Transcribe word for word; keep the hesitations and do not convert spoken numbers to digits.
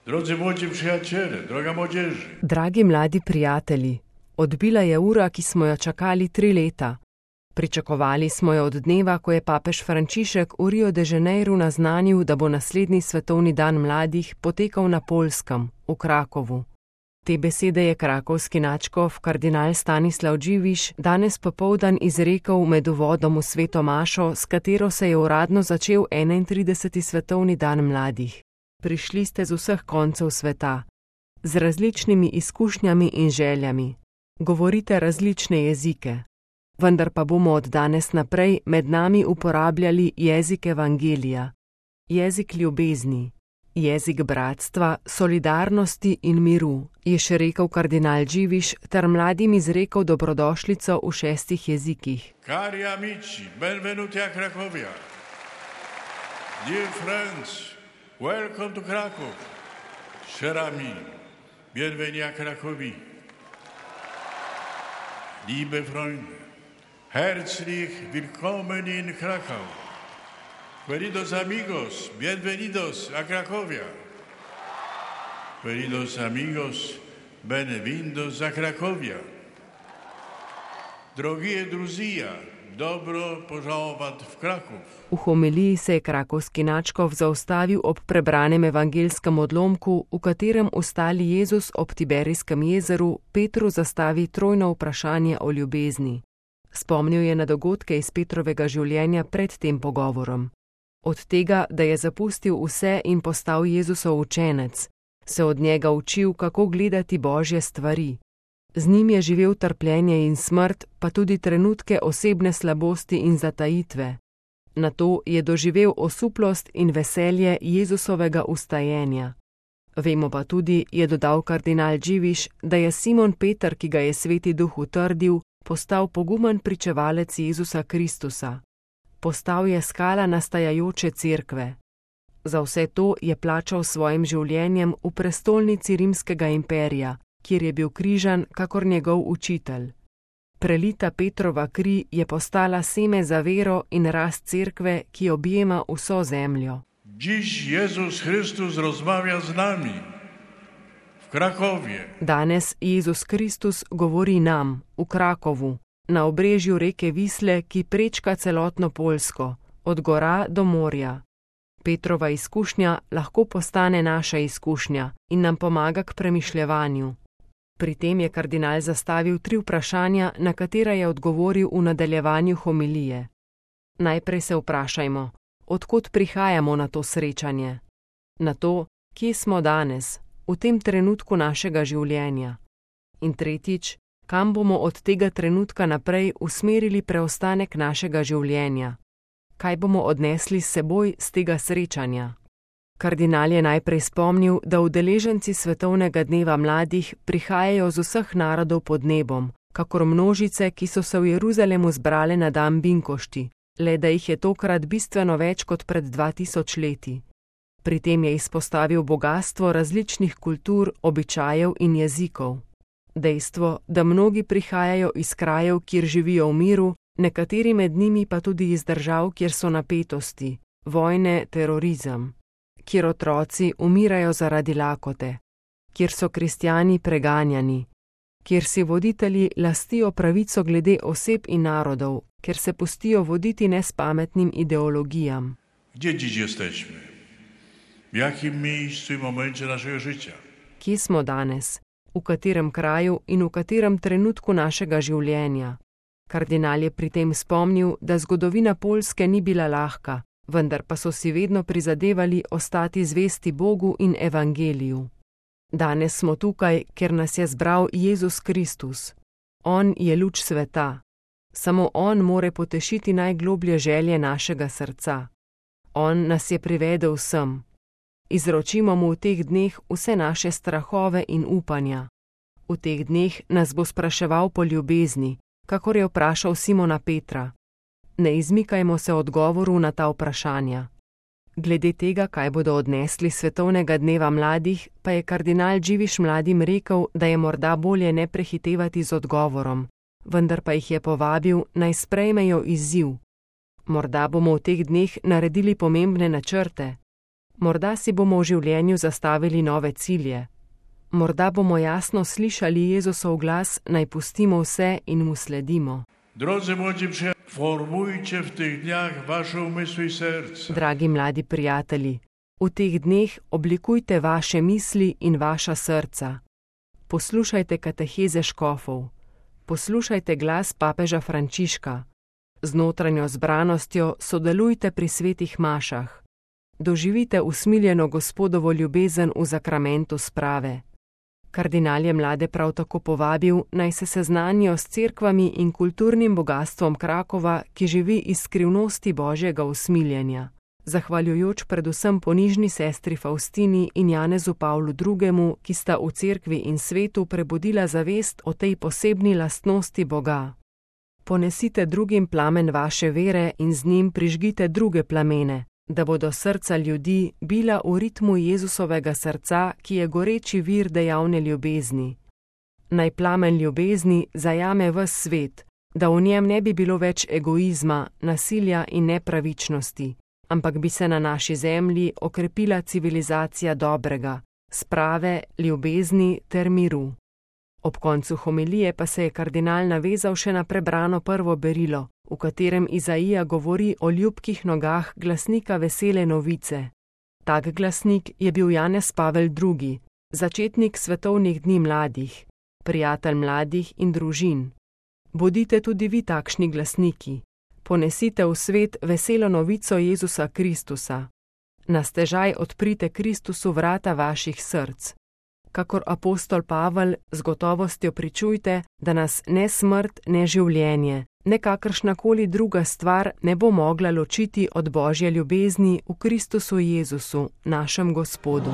Drodzy młodzi przyjaciele, droga młodzieży. Dragi mladi prijatelji, odbila je ura, ki smo jo čakali tri leta. Pričakovali smo jo od dneva, ko je papež Frančišek v Rio de Janeiru naznanil, da bo naslednji svetovni dan mladih potekal na Poljskem, v Krakovu. Te besede je krakovski nadškof kardinal Stanislav Dživiš danes popoldan izrekel med uvodom v sveto mašo, s katero se je uradno začel enaintrideseti svetovni dan mladih. Prišli ste z vseh koncev sveta, z različnimi izkušnjami in željami. Govorite različne jezike, vendar pa bomo od danes naprej med nami uporabljali jezik evangelija, jezik ljubezni, jezik bratstva, solidarnosti in miru, je še rekel kardinal Dživiš ter mladim izrekel dobrodošlico v šestih jezikih. Cari amici, benvenuti a Cracovia. Dear friends, welcome to Krakow. Cher ami, bienvenue à Cracovie. Liebe Freunde, herzlich willkommen in Krakau. Queridos amigos, bienvenidos a Cracovia. Queridos amigos, benvindos a Cracovia. Drogie druzia, dobro požalovat v Krakov. V homiliji se je krakovski nadškof zaustavil ob prebranem evangelskem odlomku, v katerem ustali Jezus ob Tiberijskem jezeru Petru zastavi trojno vprašanje o ljubezni. Spomnil je na dogodke iz Petrovega življenja pred tem pogovorom. Od tega, da je zapustil vse in postal Jezusov učenec, se od njega učil, kako gledati Božje stvari. Z njim je živel trpljenje in smrt, pa tudi trenutke osebne slabosti in zatajitve. Nato je doživel osuplost in veselje Jezusovega ustajenja. Vemo pa tudi, je dodal kardinal Dživiš, da je Simon Peter, ki ga je Sveti Duh utrdil, postal pogumen pričevalec Jezusa Kristusa. Postal je skala nastajajoče cerkve. Za vse to je plačal svojim življenjem v prestolnici Rimskega imperija, kjer je bil križan kakor njegov učitelj. Prelita Petrova kri je postala seme za vero in rast cerkve, ki objema vso zemljo. Dziś Jezus Chrystus rozmawia z nami w Krakowie. Danes Jezus Kristus govori nam v Krakovu, na obrežju reke Visle, ki prečka celotno Poljsko, od gora do morja. Petrova izkušnja lahko postane naša izkušnja in nam pomaga k premišljevanju. Pri tem je kardinal zastavil tri vprašanja, na katera je odgovoril v nadaljevanju homilije. Najprej se vprašajmo, odkot prihajamo na to srečanje? Na to, kje smo danes, v tem trenutku našega življenja? In tretjič, kam bomo od tega trenutka naprej usmerili preostanek našega življenja? Kaj bomo odnesli s seboj z tega srečanja? Kardinal je najprej spomnil, da udeleženci svetovnega dneva mladih prihajajo z vseh narodov pod nebom, kakor množice, ki so se v Jeruzalemu zbrale na dan binkošti, le da jih je tokrat bistveno več kot pred dva tisoč leti. Pri tem je izpostavil bogastvo različnih kultur, običajev in jezikov. Dejstvo, da mnogi prihajajo iz krajev, kjer živijo v miru, nekateri med njimi pa tudi iz držav, kjer so napetosti, vojne, terorizem, kjer otroci umirajo zaradi lakote, kjer so kristjani preganjani, kjer si voditelji lastijo pravico glede oseb in narodov, kjer se pustijo voditi nespametnim ideologijam. Gdzie dziś jesteśmy? W jakim miejscu i momencie naszego życia? Kje smo danes? V katerem kraju in v katerem trenutku našega življenja? Kardinal je pri tem spomnil, da zgodovina Poljske ni bila lahka, vendar pa so si vedno prizadevali ostati zvesti Bogu in evangeliju. Danes smo tukaj, ker nas je zbral Jezus Kristus. On je luč sveta. Samo on more potešiti najgloblje želje našega srca. On nas je privedel sem. Izročimo mu v teh dneh vse naše strahove in upanja. V teh dneh nas bo spraševal po ljubezni, kakor je vprašal Simona Petra. Ne izmikajmo se odgovoru na ta vprašanja. Glede tega, kaj bodo odnesli svetovnega dneva mladih, pa je kardinal Dživiš mladim rekel, da je morda bolje ne prehitevati z odgovorom, vendar pa jih je povabil, naj sprejmejo izziv. Morda bomo v teh dneh naredili pomembne načrte. Morda si bomo v življenju zastavili nove cilje. Morda bomo jasno slišali Jezusov glas, naj pustimo vse in mu sledimo. Drodzy młodzi przyjaciele, formujcie w tych dniach wasze umysły i serca. Dragi mladi prijatelji, v teh dneh oblikujte vaše misli in vaša srca. Poslušajte kateheze škofov. Poslušajte glas papeža Frančiška. Z notranjo zbranostjo sodelujte pri svetih mašah. Doživite usmiljeno Gospodovo ljubezen v zakramentu sprave. Kardinal je mlade prav tako povabil, naj se seznanijo s cerkvami in kulturnim bogastvom Krakova, ki živi iz skrivnosti Božjega usmiljenja. Zahvaljujoč predvsem ponižni sestri Faustini in Janezu Pavlu drugemu, ki sta v cerkvi in svetu prebudila zavest o tej posebni lastnosti Boga. Ponesite drugim plamen vaše vere in z njim prižgite druge plamene, da bodo srca ljudi bila v ritmu Jezusovega srca, ki je goreči vir dejavne ljubezni. Naj plamen ljubezni zajame ves svet, da v njem ne bi bilo več egoizma, nasilja in nepravičnosti, ampak bi se na naši zemlji okrepila civilizacija dobrega, sprave, ljubezni ter miru. Ob koncu homilije pa se je kardinal navezal še na prebrano prvo berilo, v katerem Izaija govori o ljubkih nogah glasnika vesele novice. Tak glasnik je bil Janez Pavel drugi, začetnik svetovnih dni mladih, prijatelj mladih in družin. Bodite tudi vi takšni glasniki. Ponesite v svet veselo novico Jezusa Kristusa. Na stežaj odprite Kristusu vrata vaših src. Kakor apostol Pavel, z gotovostjo pričujte, da nas ne smrt, ne življenje, ne kakršnakoli druga stvar ne bo mogla ločiti od Božje ljubezni v Kristusu Jezusu, našem Gospodu.